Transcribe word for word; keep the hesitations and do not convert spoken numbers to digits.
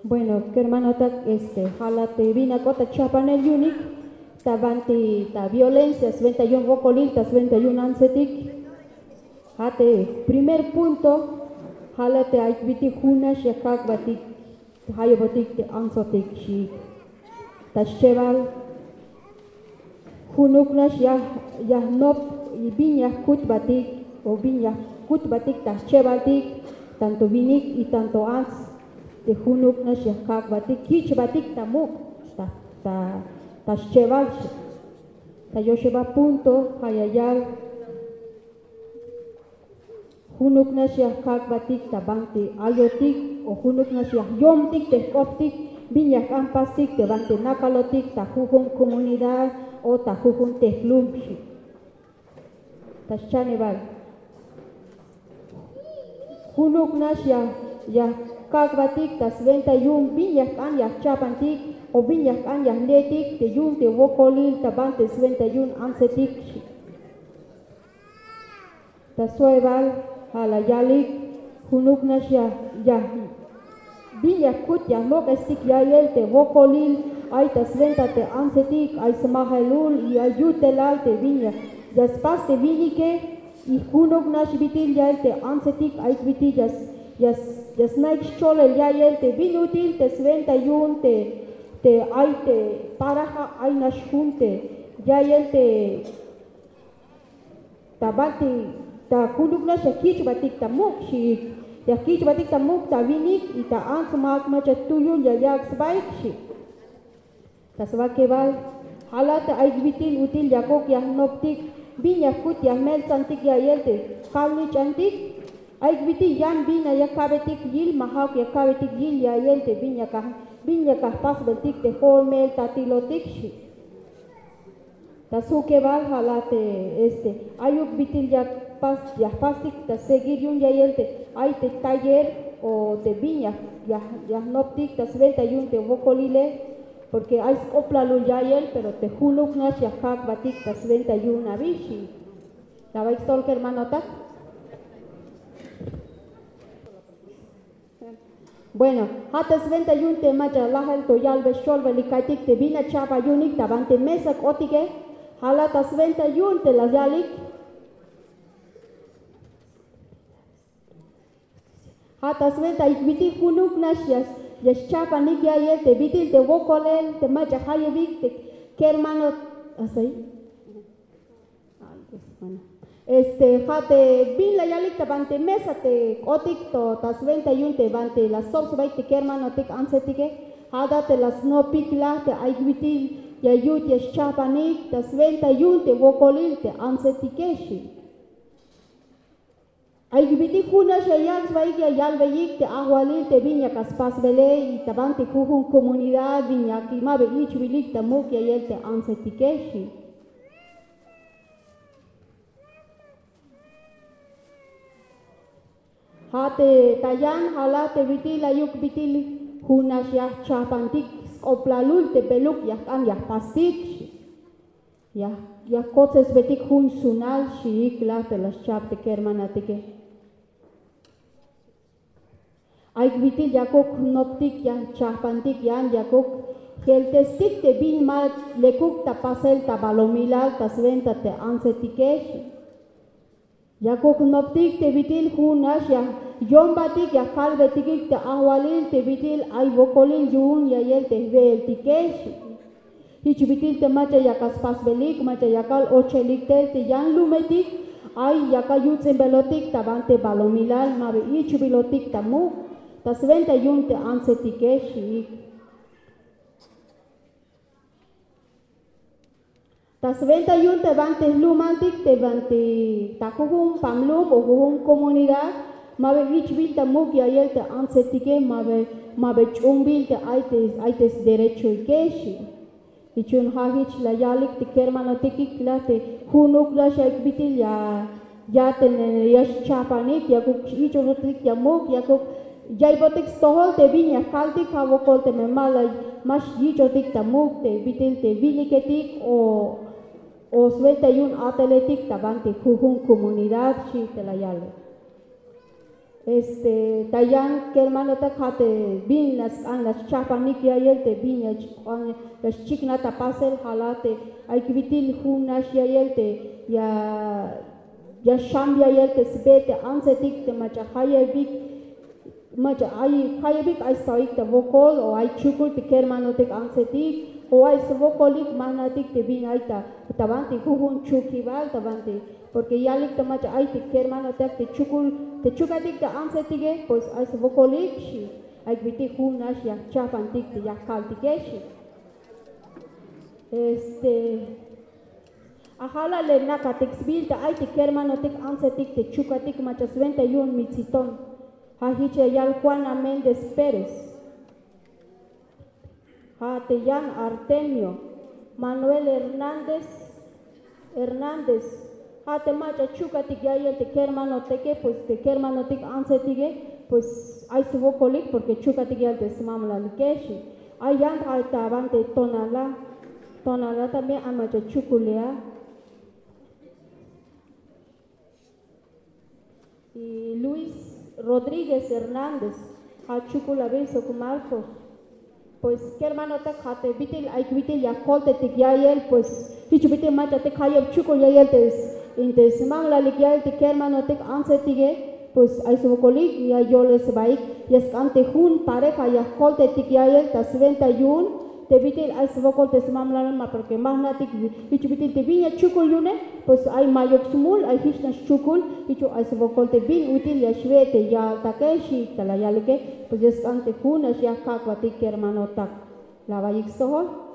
Bueno, kermanotak, este, ja' la te bin ya k'ot ta chajpanel yu'unik ta banti ta violencia swenta yu'un wokolil, ta swenta yu'un antsetik. Ja' te primer punto, ja' la te ay bit'il jun nax ya kak' batik, ja' yu'un batik te antsotik xiik. Ta schebal junuk nax ya, ya jnop, y bin ya jkutbatik o bin ya jkutbatik ta schebaltik, tanto winik y tanto ants, te junuk nax ya kak'batik, kich'batik ta muk', ta, ta, ta schebal. Ta yoxebal punto ja' ya yal, junuk nax ya kak'batik ta banti ayotik o junuk nax ya jyomtik te jk'optik bin ya jk'an jpastik te banti nakalotik ta jujun comunidad o ta jujun te jlum. Ta schanebal junuk nax ya, ya kak'batik ta swenta yu'un bin ya jk'an ya jchajpantik o bin ya jk'an ya jle'tik te yu'un te wokolil ta banti swenta yu'un antsetik. Ta soebal ja' la yalik junuk nax ya, ya bin ya jkut ya jlok'estik ya'iyel te wokolil ay ta swenta te antsetik, ay smajelul y ay yutelal te bin ya, ya spas te winike. Y junuk nax bit'il ya'iyel te antsetik ay bit'il ya, ya, ya sna'ik scholel ya'iyel te bin ut'il te swenta yu'un te, te ay te paraja ay nax jun te ya'iyel te ta banti, ta junuk nax ya kich'batik ta muk' xiik, ya kich'batik ta muk' ta winik y ta ants mak mach'a tuyul ya yak' sbaik xiik. Ta swakebal ja' la te ay bit'il ut'il yakuk ya jnoptik bin ya jkut ya jmeltsantik ya'iyel te kalnich'antik. Ay bit'il yan bin ya ka'betik yil ma ja'uk ya ka'betik yil ya'iyel te bin ya ka, bin ya ka jpasbeltik te jo'on meeltatilotik xiik. Ta sjukebal ja' la te este ayuk bit'il ya jpas, ya jpastik ta seguir yu'un ya'iyel te ay te taller o te bin ya, ya, ya jnoptik ta swenta yu'un te wokolile, porque ay sk'oplalul ya'iyel pero te junuk nax ya kak'batik ta swenta yu'un abi xiik. La baik stol kermanotak. Bueno, ja' ta swenta yu'un te mach'a lajel to yalbe xcholbelik ka'iytik te bin ya chajpan yu'unik ta banti mesa k'otike. Ja' la ta swenta yu'un te la yalik. Ja' ta swenta y bit'il junuk nax ya, ya xchajpanik ya'iyel te bit'il te wokolel te mach'a jayebik te kermano. Así. Este ja' te bin la yalik ta banti mesa te k'otik to ta swenta yu'un te banti la stsob sbaik te kermanotik antsetike. Ja' la te la snopik la te ay bit'il ya yut ya xchajpanik ta swenta yu'un te wokolil te antsetike xiik. Ay bit'il jun nax ya yak' sbaik ya yalbeyik te ajwalil te bin ya ka spasbele y ta banti jujun comunidad bin ya ki ma ba ich'bilik ta muk' ya'iyel te antsetike xiik. Ja' te ta yan ja' la te bit'il ayuk bit'il jun nax ya jchajpantik sk'oplalul te beluk ya jk'an ya jpastik xiik. Ya, ya jkotsesbetik jun sunal xiik la te la xchajp te kermanatike. Ay bit'il yakuk jnoptik ya jchajpantik yan yakuk jeltestik te bin ma lekuk ta pasel ta balumilal ta swenta te antsetike xiik. Yakuk jnoptik te bit'il jun nax ya yombatik ya kalbetikik te ajwalil te bit'il ay wokolil yu'un ya'iyel te jwe'eltike xiik. Jich bit'il te mach'a ya ka spasbelik mach'a ya kal ochelik tel te yan lumetik ay ya ka yuts'inbelotik ta banti balumilal ma ba ich'bilotik ta muk' ta swenta yu'un te antsetike xiik. Ta swenta yu'un te banti jlumaltik te banti ta jujun pamlum o jujun comunidad ma ba ich'bil ta muk' ya'iyel te antsetike ma ba, ma ba ch'umbil te ay te, ay te sderechoike xiik. Jich yu'un ja' jich la yalik te kermanotikik la te junuk nax ay bit'il ya, ya te ya xchajpanik yakuk yich'otik ya muk' yakuk ya'iybotik stojol te bin ya kaltik ja' wokol teme ma la, ma xyich'otik ta muk' te bit'il te winiketik o, o swenta yu'un ateletik ta banti jujun comunidad xiik te la yalik. Este, ta yan kermanotak, ja' te bin la sk'an la schajpanik ya'iyel te bin ya xchiknaj ta pasel, ja' la te ay bit'il jun nax ya'iyel te ya ya xjam ya'iyel te sbe te antsetik te mach'a jayebik, mach'a ay jayebik ay sta'oyik ta wokol o ay chukul te kermanotik antsetik o ay swokolik, ma jna'tik te bin ay ta ta banti jujun chukibal ta banti, porque yalik te mach'a ay te kermanotik te chukul te chukatik te antsetike, pues ay swokolik xi, ay bit'il jun nax ya jchajpantik te ya jkaltike xi. Este, ajala le nakatik sbiil te ay te kermanotik antsetik te chukatik mach'a swenta yu'un Mitziton. Ja' jich ya yal Juana Méndez Pérez. Ja' te yan Artemio Manuel Hernández Hernández. Ja' te mach'a chukatik ya'iyel te kermanotike, pues te kermanotik antsetike, pues ay swokolik porque chukatik ya'iyel te smamlalike xi. Ay yan ja' ta banti Tonalá. Tonalá también ay mach'a chukul a. Y Luis Rodríguez Hernández, ja' chukul abi sok Marcos. Pues kermanotak, ja' te bit'il ay bit'il ya jkoltetik ya'iyel, pues jich bit'il mach'atik jayeb chukul ya'iyel te s- in te smamlalik ya'iyel te kermanotik antsetike, pues ay swokolik ya yolel sbaik, ya sk'an te jun pareja ya jkoltetik ya'iyel ta swenta yu'un te bit'il ay swokol te smamlal, ma porque ma jna'tik jich bit'il te bin ya chukul yu'une, pues ay mayuk smul, ay jich nax chukul, jich ay swokol te bin ut'il ya xwe' te ya'altake xi, ta la yalike, pues ya sk'an te jun nax ya jkak'batik kermanotak. La awaiyik stojol.